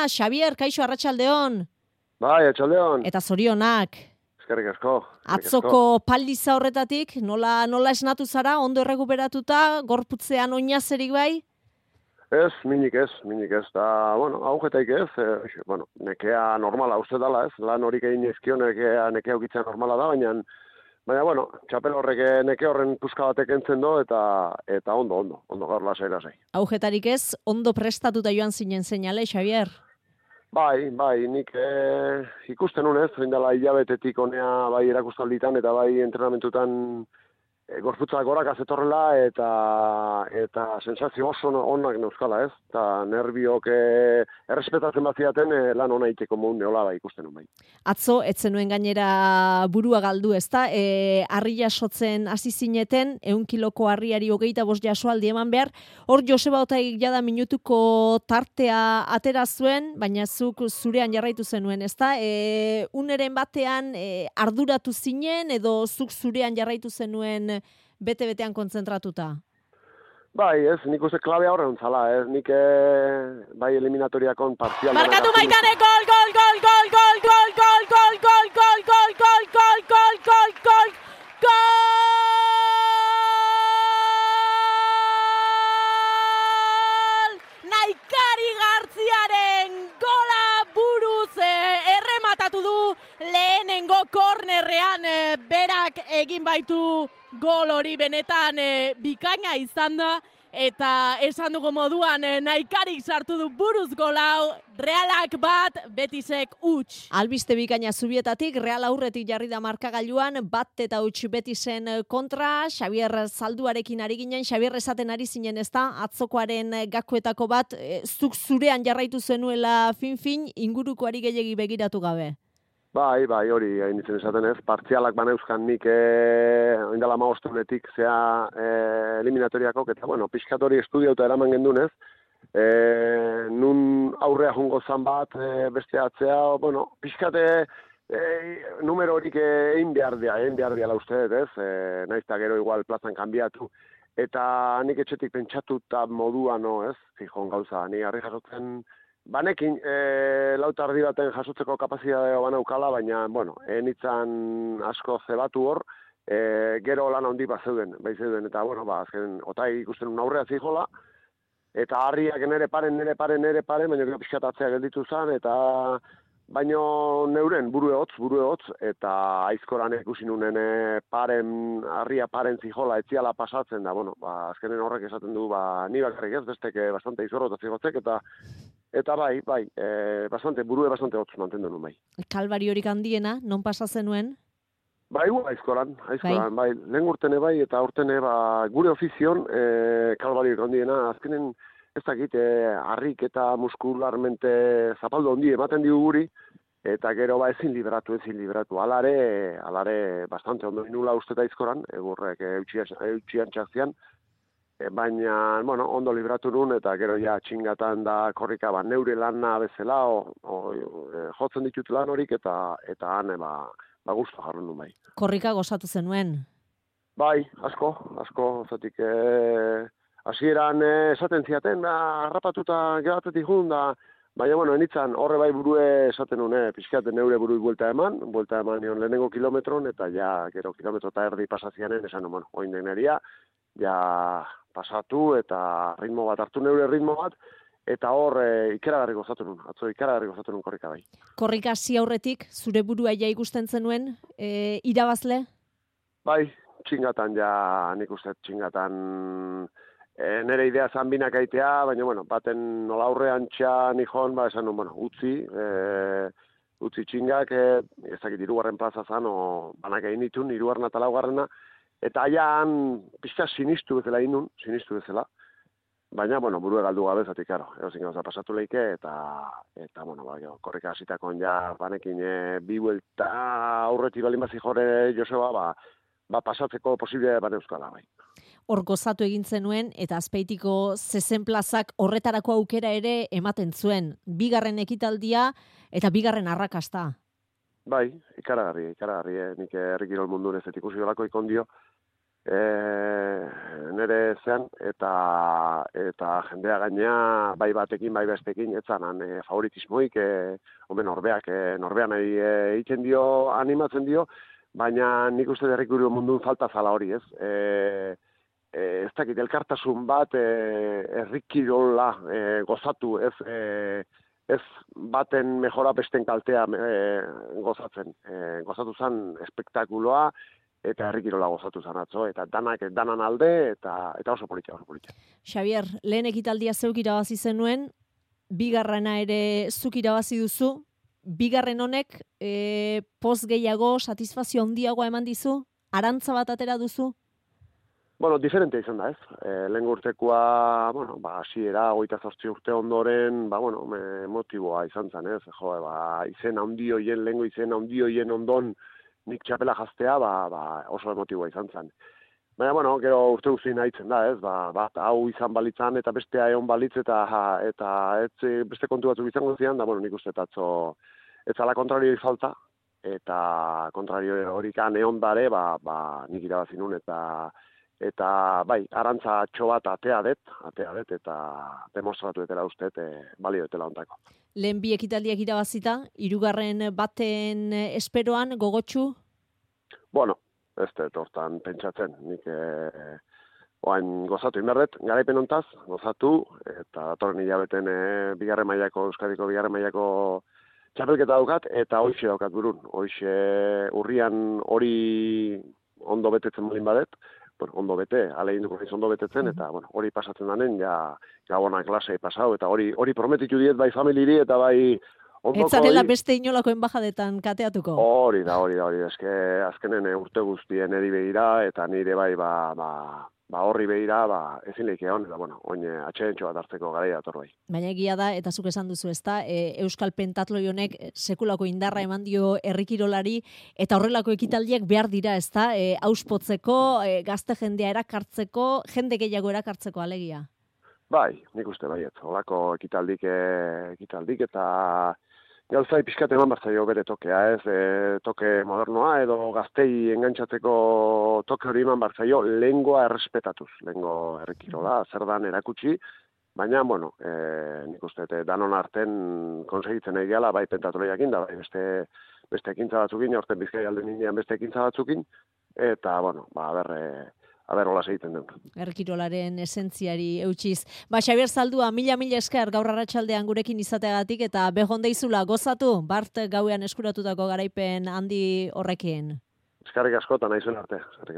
Xabier, kaixo arratsaldeon. Bai, arratsaldeon. Eta zorionak. Eskerrik asko. Atzoko paliza horretatik, nola esnatu zara, ondo errekuperatuta, gorputzean oinazerik bai? Ez, minik ez. Da, agujetaik ez. Nekea normala uste dela ez. Lan horik egin ezkio nekea ukitzea normala da, baina, txapel horrek neke horren puska batek entzen do, eta ondo, gaur lasai. Agujetarik ez, ondo prestatuta joan zinen seinale, Xabier? Bai, nik ikusten unez, dela hilabetetik honea bai erakustalditan eta bai entrenamentutan gorputza goraka zetorrela eta sensazio oso onak neuzkala ez, eta nerbiok errespetatzen baziaten lan ona iteko modun neola bai ikusten un bai. Atzo, etzenuen gainera burua galdu ezta, harri jasotzen hasi zineten, 100 kiloko harriari 25 jasoaldi eman behar, hor Joseba Otaik jada minutuko tartea atera zuen, baina zuk zurean jarraitu zenuen, ezta? Uneren batean arduratu zinen edo zuk zurean jarraitu zenuen bete-betean kontzentratuta? Bai, ez, nik uste klabea horren zala, ez, nik bai eliminatoriakon partzial... Markatu Maitane, gol! Naikari Gartziaren gola buruz errematatu du lehenengo kornerrean berak egin baitu gol hori benetan bikaina izan da, eta esan dugu moduan Naikarik sartu du buruz gol hau, Realak bat, Betisek huts. Albiste bikaina Zubietatik, Real aurretik jarri da markagailuan, bat eta huts Betisen kontra, Xabier Zalduarekin ari ginen, Xabier esaten ari zinen ezta, atzokoaren gakoetako bat, zuk zurean jarraitu zenuela fin, ingurukoari gehiegi begiratu gabe. Bai, hori hain ditzen esaten ez. Partzialak baneuzkan nik oindala maostunetik zea eliminatoriakok, eta pixkat hori estudiauta eraman gendunez. Nun aurrea jungo zan bat, beste atzea, pixkat numero horik egin behar diala uste, ez? Naizta gero igual plazan kanbiatu. Eta nik etxetik pentsatuta modua, ez? Fijon gauza, ni harri jasotzen... Banekin, lauta ardi baten jasotzeko kapazitatea banaukala, baina, enitzan asko zebatu hor, gero lan handi zeuden, eta, azken, Otai ikusten un aurrea zijola, eta harriak nere paren, baina gero pixkatatzea gelditu zen, eta baino neuren buru egotz, eta aizkoran ikusi nunen harria paren zijola, etziala pasatzen da, azkenen horrek esaten du, ni bakarrik ez, besteke bastante izorrota zigotzek, eta bai, burue bastante hotz mantendu nuen bai. Kalbari horik handiena, non pasa zenuen? Bai, aizkoran, bai, lehen urtene bai, eta urtene gure ofizion kalbari horik handiena, azkenen ez dakit, harrik eta muskularmente zapaldu handi ematen digu guri, eta gero ezin libratu. Alare bastante ondo inula usteta aizkoran, egurrek eutxian txakzian, baina, ondo libratu nun, eta gero ja txingatan da korrika, neure lana bezala, jotzen ditut lan horik, eta han, guztu jarren nun bai. Korrika gozatu zenuen? Bai, asko, zatik, hasieran esaten ziaten, harrapatuta gehatetik jun, baina, enitzan horre bai burue esaten nun, pixkaten neure burui buelta eman nion lehenengo kilometron, eta ja, gero kilometro eta erdi pasazianen, esan, oin deneria, ja pasatu eta ritmo bat, hartu neure ritmo bat, eta hor ikaragarri gozatu nun korrika bai. Korrika hasi aurretik, zure burua ja ikusten zenuen, irabazle? Bai, txingatan nik uste txingatan nire idea zan binak aitea, baina, baten nola aurrean txan nihon, esan nun, utzi txingak, ezakit irugarren plaza zan, banak egin ditun, irugarren eta laugarrena, eta aian pixka sinistu bezala, baina, burue galdu gabe, zatik, egozin gauza pasatu leike, eta korrika hasitakon banekin bi buelta aurreti balin bazi jore Joseba, pasatzeko posible bane euskala, bai. Hor gozatu egin zenuen, eta Azpeitiko zezen plazak horretarako aukera ere ematen zuen. Bigarren ekitaldia eta bigarren arrakasta. Bai, ikaragarri, nik herri kirol mundun ez ikusi dolako ikondio, nire zean, eta jendea gainea, bai batekin, bai bestekin, etzanan favoritismoik, norbean egiten dio, animatzen dio, baina nik uste herrikiro mundun falta zala hori, ez? Ez dakit, elkartasun bat herrikirola gozatu, ez baten mejora besten kaltea gozatzen. Gozatu zen espektakuloa, eta herrikirola gozatu zen atzo, eta danan alde, eta oso politia. Xabier, lehen ekitaldia zeuk irabazi zenuen, bigarrena ere zuk irabazi duzu, bigarren honek poz gehiago, satisfazio handiagoa eman dizu? Arantza bat atera duzu? Bueno, diferente izan da, ez? Lehen urtekoa, hasiera 28 urte ondoren, motiboa izan zen, ez? Izen handi hoien, lehengo izen handi hoien ondon nik txapela jaztea, oso emotiboa izan zen. Baina, gero urte guztien haitzen da, ez? Bat hau izan balitzan eta bestea egon balitz eta beste kontu batzuk izango zian, da, nik uste atzo ez zala kontrarioi falta, eta kontrario horikan egon dare, nik irabazi nun, eta bai, arantza atxo bat atea det, eta demostratu etela uste, balio etela ontako. Lehen bi ekitaldiak irabazita, hirugarren baten esperoan, gogotsu? Bueno, ez hortan pentsatzen, nik oain gozatu inberdet, garaipen ontaz, gozatu, eta datorren hilabeten Euskadiko bigarren mailako txapelketa daukat, eta hoixe daukat burun. Hoixe urrian hori ondo betetzen malin badet, ondo bete, alegin duko ondo betetzen, eta hori pasatzen danen, gabona klasei pasau, eta hori prometitu diet bai familiri, eta bai ondoko... Etzarela beste inolako enbajadetan kateatuko? Hori da, eske azkenen urte guztien eri behira, eta nire bai horri behira, ezin lehik egon, eta oin atxedentxo bat hartzeko garaia dator bai. Baina egia da, eta zuk esan duzu ezta, Euskal Pentatloi honek sekulako indarra eman dio herrikirolari, eta horrelako ekitaldiak behar dira, ezta, auspotzeko, gazte jendea erakartzeko, jende gehiago erakartzeko alegia. Bai, nik uste baiet, holako ekitaldik eta gauzai pixkat eman bartzaio bere tokea, ez, toke modernoa, edo gaztei engantzatzeko toke hori eman bartzaio, lehengoa errespetatuz, lehengo herrikirola, zer dan erakutsi, baina, nik uste, danon arten konsegitzen egiala, bai pentatloiakin, da bai beste ekintza batzukin, aurten Bizkaia alde ninean beste ekintza batzukin, eta, aber hola segiten den. Herrikirolaren esentziari eutsiz. Xabier Zaldua, mila esker gaur arratsaldean gurekin izateagatik, eta behon deizula gozatu, bart gauean eskuratutako garaipen handi horrekin. Eskerrik asko, eta nahi zuen arte.